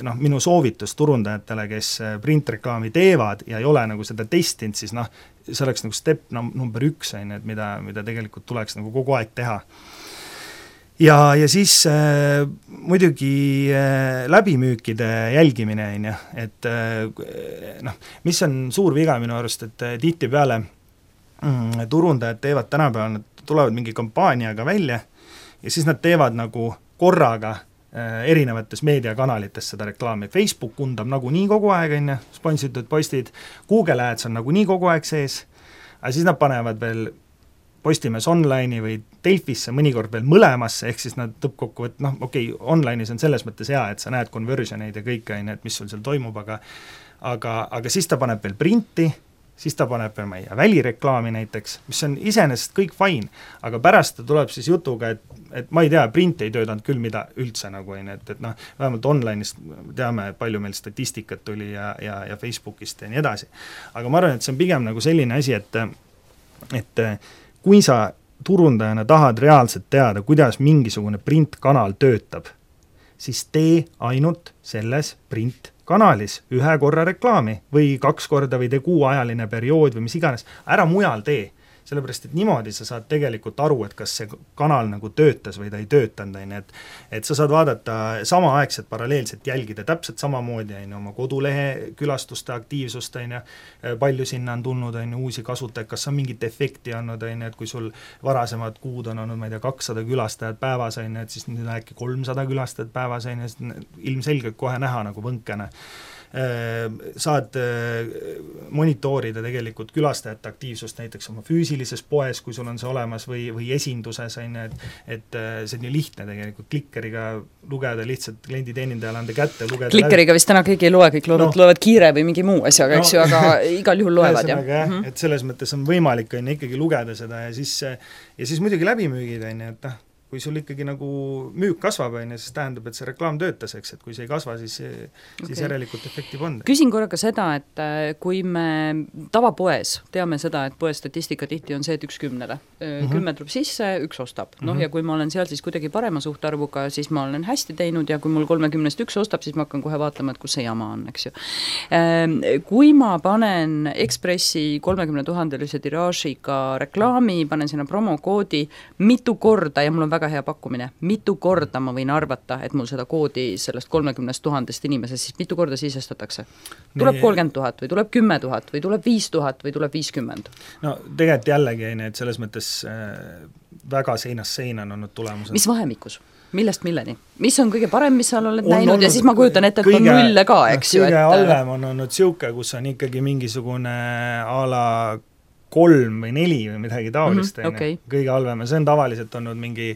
noh, minu soovitus turundajatele, kes printreklaami teevad ja ei ole nagu seda testinud, siis noh, see oleks nagu step number üks, et mida, mida tegelikult tuleks nagu kogu aeg teha. Ja, ja siis äh, muidugi äh, läbimüükide jälgimine, on, et äh, noh, mis on suur viga minu arust, et äh, tihtipeale mm, turundajad teevad tänapäeval, nad tulevad mingi kampaaniaga välja ja siis nad teevad nagu korraga erinevates meediakanalites seda reklaami. Facebook undab nagu nii kogu aeg, on, sponsitud postid, Google Ads on nagu nii kogu aeg sees, aga siis nad panevad veel Postimees online'i või Delfisse mõnikord veel mõlemasse, ehk siis nad tõppkokku, et noh, okei, okay, online'is on selles mõttes hea, et sa näed conversioneid ja kõik, on, et mis sul seal toimub, aga aga, aga siis ta paneb veel printi, siis ta paneb veel meie välireklaami näiteks, mis on iseenesest kõik fine, aga pärast ta tuleb siis jutuga, et, et ma ei tea, print ei töötanud küll mida üldse nagu, et, et noh, vähemalt online'ist teame, palju meil statistikat tuli ja, ja, ja Facebookist ja nii edasi. Aga ma arvan, et see on pigem nagu selline asi, et, et kui sa turundajana tahad reaalselt teada, kuidas mingisugune printkanal töötab, siis tee ainult selles print kanalis ühe korra reklaami või kaks korda või tee kuuajaline periood või mis iganes, ära mujal tee, sellepärast et niimoodi sa saad tegelikult aru, et kas see kanal nagu töötas või ta ei töötanud, et, et sa saad vaadata samaaegselt paralleelselt jälgida täpselt samamoodi on, oma kodulehe külastuste aktiivsust, on, palju sinna on tulnud on, uusi kasutajaid, kas on mingit efekti olnud, on, et kui sul varasemad kuud on olnud, ma ei tea, kakssada külastajat päevas, on, et siis nüüd on äkki kolmsada külastajat päevas, on, ilmselgelt kohe näha nagu võnkene. Saad monitoorida tegelikult külastajate aktiivsust näiteks oma füüsilises poes, kui sul on see olemas, või, või esinduses, et, et see on ju lihtne tegelikult klikkeriga lugeda, lihtsalt klienditeenindajale anda kätte, lugeda klikkeriga läbi. Vist täna keegi ei loe, kõik loevad, no. loevad kiire või mingi muu asjaga, eks no. ju, aga igal juhul loevad. Ja. Jah, mm-hmm. Et selles mõttes on võimalik on, ikkagi lugeda seda ja siis, ja siis muidugi läbimüügid, on, et noh, kui sul ikkagi nagu müük kasvab, on, siis tähendab, et see reklaam töötas, eks, et kui see ei kasva, siis, siis okay. järelikult efekti polnud. Küsin korraga seda, et kui me tavapoes teame seda, et poes statistika tihti on see, et üks kümnele. Mm-hmm. Kümme tuleb sisse, üks ostab. Noh, mm-hmm. ja kui ma olen seal siis kuidagi parema suhtarvuga, siis ma olen hästi teinud ja kui mul kolmekümnest üks ostab, siis ma hakkan kohe vaatama, et kus see jama on, eks ju. Kui ma panen Ekspressi kolmekümne tuhandelise tiraažiga reklaami, panen sinna promokoodi mitu korda ja mul on väga väga hea pakkumine, mitu korda ma võin arvata, et mul seda koodi sellest kolmekümnest tuhandest inimesest, siis mitu korda sisestatakse? Tuleb kolmkümmend tuhat või tuleb kümme tuhat või tuleb viis tuhat või tuleb viiskümmend? No tegelikult jällegi, et selles mõttes väga seinast seina on olnud tulemused. Mis vahemikus? Millest milleni? Mis on kõige parem, mis sa oled on näinud ja siis ma kujutan ette, et kõige, on nulle ka, eks ju. Kõige et... halvem on olnud siuke, kus on ikkagi mingisugune a la kolm või neli või midagi taolist mm, -hmm, okay. Kõige halvem, see on tavaliselt olnud mingi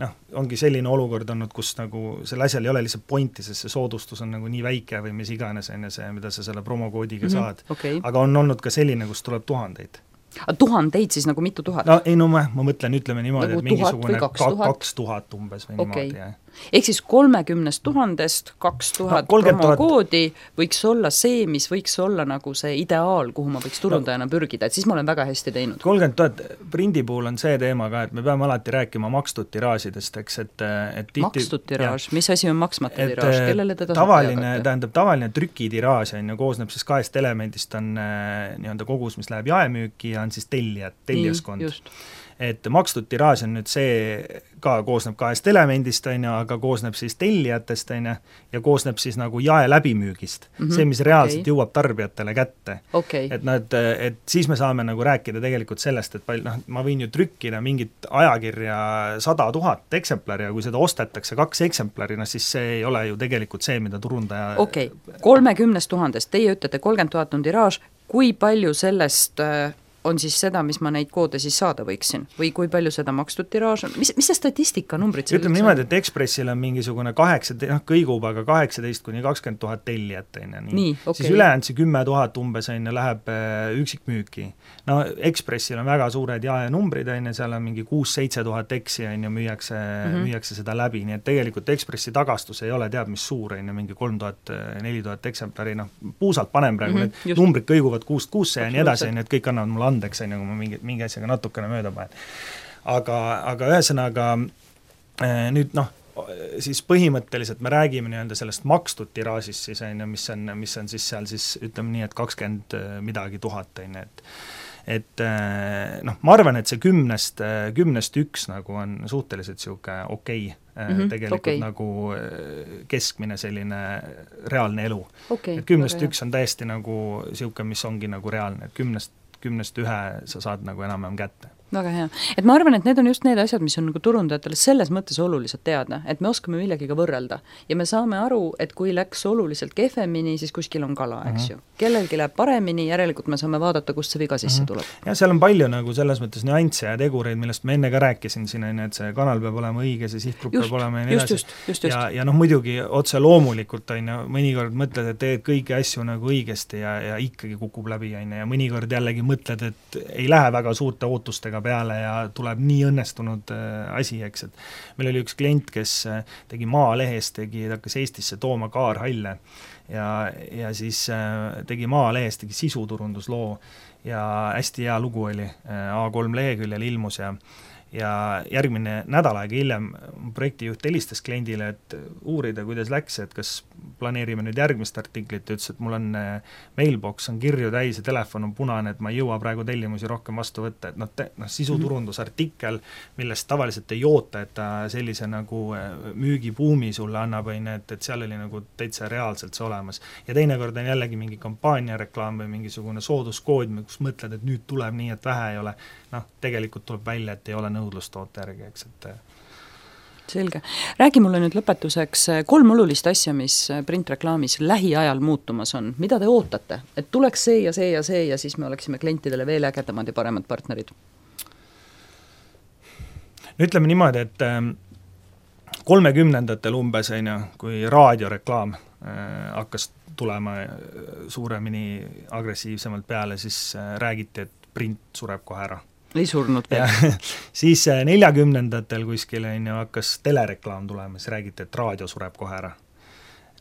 noh, ongi selline olukord olnud, kus nagu selle asjal ei ole lihtsalt pointi, sest see soodustus on nagu nii väike või mis iganes enne see, mida sa selle promokoodiga mm -hmm, saad okay. Aga on olnud ka selline, kus tuleb tuhandeid. A tuhandeid siis nagu mitu tuhat? No ei no ma, ma mõtlen, ütleme niimoodi, nagu et mingisugune kaks tuhat umbes või okay. niimoodi, jah. Ehk siis kolmekümnest tuhandest kaks tuhat no, promokoodi võiks olla see, mis võiks olla nagu see ideaal, kuhu ma võiks turundajana pürgida, et siis ma olen väga hästi teinud. kolmkümmend tuhat, prindi puhul on see teema ka, et me peame alati rääkima makstud tiraažidest, eks, et, et tihti, makstud tiraaž, mis asi on maksmata et, tiraaž, kellele teda tavaline, tähendab, tavaline trükitiraaž on ju, koosneb siis kahest elemendist, on nii-öelda kogus, mis läheb jaemüüki ja on siis tellijad, teljaskond. Et makstud tiraaž on nüüd see ka koosneb kahest elemendist, on ju, aga koosneb siis tellijatest, on ju, ja koosneb siis nagu jae läbimüügist. Mm -hmm, see, mis reaalselt okay. jõuab tarbijatele kätte. Okay. Et, no, et, et siis me saame nagu rääkida tegelikult sellest, et palju, noh, ma võin ju trükkida mingit ajakirja sada tuhat eksemplari ja kui seda ostetakse kaks eksemplari, no siis see ei ole ju tegelikult see, mida turundaja okei okay., kolmekümnest tuhandest, teie ütlete kolmkümmend tuhat on tiraaž, kui palju sellest on siis seda, mis ma neid koode siis saada võiksin? Või kui palju seda makstud tiraaž on? Mis, mis see statistika numbrid? Ütleme niimoodi, et Ekspressil on mingisugune kaheksa, noh kõigub, aga kaheksateist kuni kakskümmend tuhat tellijat, on ju, nii. nii okay. Siis ülejäänud see kümme tuhat umbes, on ju, läheb üksikmüüki. No Ekspressil on väga suured jaenumbrid, on ju, seal on mingi kuus-seitse tuhat eksi, on ju, müüakse, mm -hmm. müüakse seda läbi, nii et tegelikult Ekspressi tagastus ei ole teab mis suur, on ju, mingi kolm tuhat, neli tuhat eksemplari, noh, puusalt panem praegu, mm -hmm, need just. Numbrid kõiguvad kuust kuusse ja nii edasi, on ju, et kõik annavad mulle andeks, on ju, kui ma mingi, mingi asjaga natukene mööda panen. Aga, aga ühesõnaga nüüd noh, siis põhimõtteliselt me räägime nii-öelda sellest makstud tiraažist siis, on ju, mis on, mis on siis seal siis ütleme nii, et kakskümmend midagi tuhat, on ju, et et noh, ma arvan, et see kümnest, kümnest üks nagu on suhteliselt sihuke okei okay, mm -hmm, tegelikult okay. nagu keskmine selline reaalne elu okay,. Et kümnest okay. üks on täiesti nagu sihuke, mis ongi nagu reaalne, et kümnest kümnest ühe sa saad nagu enam-enam kätte. Väga hea. Et ma arvan, et need on just need asjad, mis on nagu turundajatele selles mõttes olulised teada, et me oskame millegiga võrrelda ja me saame aru, et kui läks oluliselt kehvemini, siis kuskil on kala, eks ju. Kellelgi läheb paremini, järelikult me saame vaadata, kust see viga sisse tuleb. Ja seal on palju nagu selles mõttes nüansse ja tegureid, millest ma enne ka rääkisin siin, et see kanal peab olema õige, see sihtgrupp just, peab olema ja nii edasi. Just, just, just. Ja, ja noh, muidugi otse loomulikult on ju, mõnikord mõtled, et teed kõiki asju nagu õigesti ja, ja ikkagi kukub läbi, on ju, ja mõnikord jällegi mõtled, et ei lähe väga suurte ootustega peale ja tuleb nii õnnestunud äh, asi, eks, et meil oli üks klient, kes äh, tegi Maalehes, tegi, hakkas Eestisse tooma kaarhalle ja, ja siis äh, tegi Maalehes, tegi sisuturundusloo ja hästi hea lugu oli, äh, A kolm leheküljel ilmus ja ja järgmine nädal aega hiljem projektijuht helistas kliendile, et uurida, kuidas läks, et kas planeerime nüüd järgmist artiklit, ütles, et mul on mailbox on kirju täis ja telefon on punane, et ma ei jõua praegu tellimusi rohkem vastu võtta, et noh, noh sisuturundusartikkel, millest tavaliselt ei oota, et ta sellise nagu müügibuumi sulle annab, et, et seal oli nagu täitsa reaalselt see olemas. Ja teinekord on jällegi mingi kampaaniareklaam või mingisugune sooduskood, kus mõtled, et nüüd tuleb nii, et vähe ei ole, noh, tegelikult tuleb välja, et ei ole nõudlust toote järgi, eks, et selge. Räägi mulle nüüd lõpetuseks kolm olulist asja, mis printreklaamis lähiajal muutumas on. Mida te ootate? Et tuleks see ja see ja see ja siis me oleksime klientidele veel ägedamad ja paremad partnerid? No ütleme niimoodi, et kolmekümnendatel umbes, kui raadioreklaam hakkas tulema suuremini agressiivsemalt peale, siis räägiti, et print sureb kohe ära. Ei surnud veel. Siis neljakümnendatel kuskil on ju hakkas telereklaam tulema, siis räägiti, et raadio sureb kohe ära.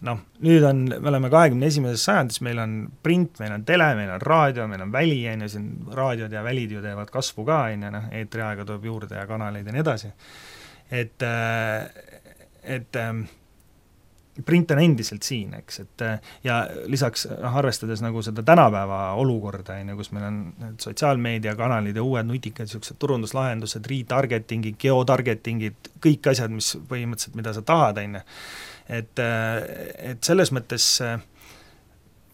Noh, nüüd on, me oleme kahekümne esimeses sajandis, meil on print, meil on tele, meil on raadio, meil on väli, on ju, siin raadiod ja välid ju teevad kasvu ka, on ju, eetriaega tuleb juurde ja kanaleid ja nii edasi. Et, et print on endiselt siin, eks, et ja lisaks noh, arvestades nagu seda tänapäeva olukorda, kus meil on sotsiaalmeediakanalid ja uued nutikad niisugused turunduslahendused, retargetingid, geotargetingid, kõik asjad, mis põhimõtteliselt, mida sa tahad, on ju. Et, et selles mõttes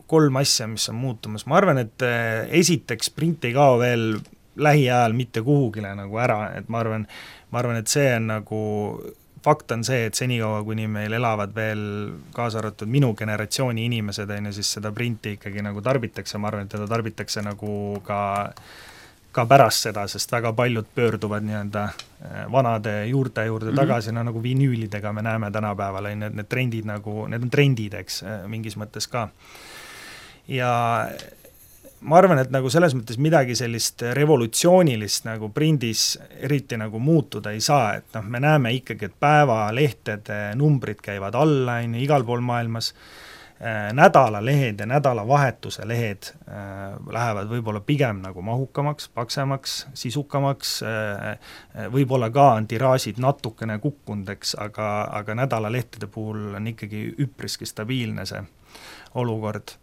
kolm asja, mis on muutumas, ma arvan, et esiteks print ei kao veel lähiajal mitte kuhugile nagu ära, et ma arvan, ma arvan, et see on nagu fakt on see, et senikaua, kuni meil elavad veel kaasa arvatud minu generatsiooni inimesed, on ju, siis seda printi ikkagi nagu tarbitakse, ma arvan, et teda tarbitakse nagu ka, ka pärast seda, sest väga paljud pöörduvad nii-öelda vanade juurte juurde tagasi, mm-hmm. no nagu vinüülidega me näeme tänapäeval, on need, need trendid nagu, need on trendid, eks, mingis mõttes ka. Ja ma arvan, et nagu selles mõttes midagi sellist revolutsioonilist nagu prindis eriti nagu muutuda ei saa, et noh, me näeme ikkagi, et päevalehtede numbrid käivad alla, on ju, igal pool maailmas, nädalalehed ja nädalavahetuse lehed äh, lähevad võib-olla pigem nagu mahukamaks, paksemaks, sisukamaks, äh, võib-olla ka on tiraažid natukene kukkundeks, aga, aga nädalalehtede puhul on ikkagi üpriski stabiilne see olukord.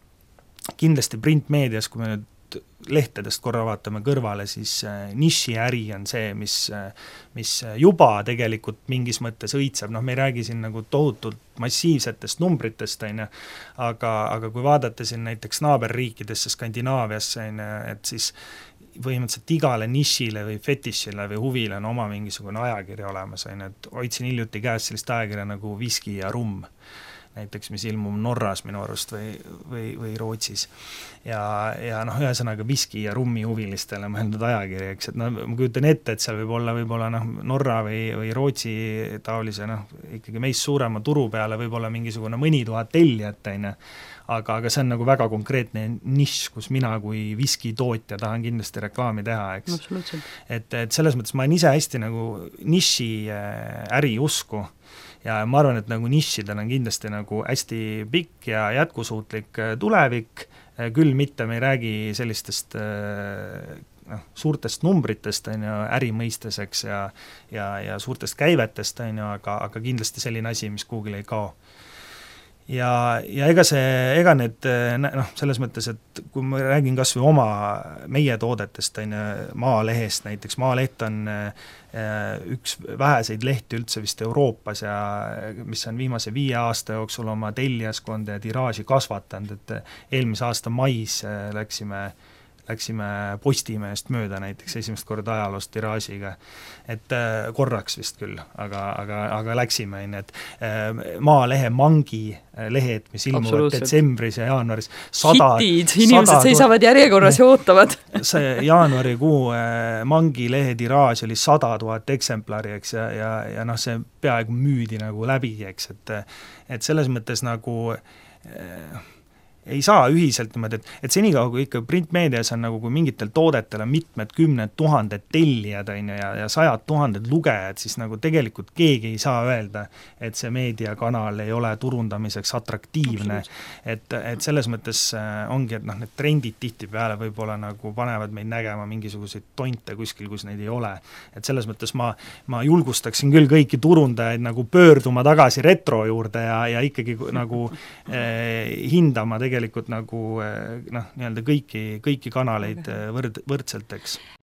Kindlasti printmeedias, kui me nüüd lehtedest korra vaatame kõrvale, siis nišiäri on see, mis, mis juba tegelikult mingis mõttes õitseb, noh me ei räägi siin nagu tohutult massiivsetest numbritest, on ju, aga, aga kui vaadata siin näiteks naaberriikidesse, Skandinaaviasse, on ju, et siis põhimõtteliselt igale nišile või fetišile või huvile on oma mingisugune ajakiri olemas, on ju, et hoidsin hiljuti käes sellist ajakirja nagu Viski ja Rumm, näiteks, mis ilmub Norras minu arust või, või, või Rootsis. Ja, ja noh, ühesõnaga Viski ja Rummi huvilistele mõeldud ajakiri, eks, et no ma kujutan ette, et seal võib olla võib-olla noh, Norra või, või Rootsi taolise noh, ikkagi meist suurema turu peale võib-olla mingisugune mõni tuhat tellijat, on ju, aga, aga see on nagu väga konkreetne nišš, kus mina kui viski tootja tahan kindlasti reklaami teha, eks. Et, et selles mõttes ma olen ise hästi nagu niši äri usku, ja ma arvan, et nagu nišidel on kindlasti nagu hästi pikk ja jätkusuutlik tulevik, küll mitte me ei räägi sellistest noh, suurtest numbritest, on ju, ärimõisteseks ja, ja, ja suurtest käivetest, on ju, aga, aga kindlasti selline asi, mis kuhugile ei kao. Ja, ja ega see, ega need noh, selles mõttes, et kui ma räägin kas või oma meie toodetest, on Maalehest näiteks, Maaleht on üks väheseid lehti üldse vist Euroopas ja mis on viimase viie aasta jooksul oma tellijaskonda ja tiraaži kasvatanud, et eelmise aasta mais läksime läksime Postimehest mööda näiteks esimest korda ajaloost tiraažiga, et korraks vist küll, aga, aga, aga läksime, et Maalehe mangi lehed, mis ilmuvad detsembris ja jaanuaris sada, hitid, inimesed sada, seisavad järjekorras ja ootavad. See jaanuarikuu mangi lehe tiraaž oli sada tuhat eksemplari, eks, ja, ja, ja noh, see peaaegu müüdi nagu läbi, eks, et, et selles mõttes nagu eh, ei saa ühiselt niimoodi, et, et senikaua, kui ikka printmeedias on nagu, kui mingitel toodetel on mitmed kümned tuhanded tellijad on ja, ja sajad tuhanded lugejad, siis nagu tegelikult keegi ei saa öelda, et see meediakanal ei ole turundamiseks atraktiivne. Et, et selles mõttes ongi, et noh, need trendid tihtipeale võib-olla nagu panevad meid nägema mingisuguseid tonte kuskil, kus neid ei ole. Et selles mõttes ma, ma julgustaksin küll kõiki turundajaid nagu pöörduma tagasi retro juurde ja, ja ikkagi nagu eh, hindama tegelikult tegelikult nagu noh, nii-öelda kõiki, kõiki kanaleid võrd, võrdselt, eks.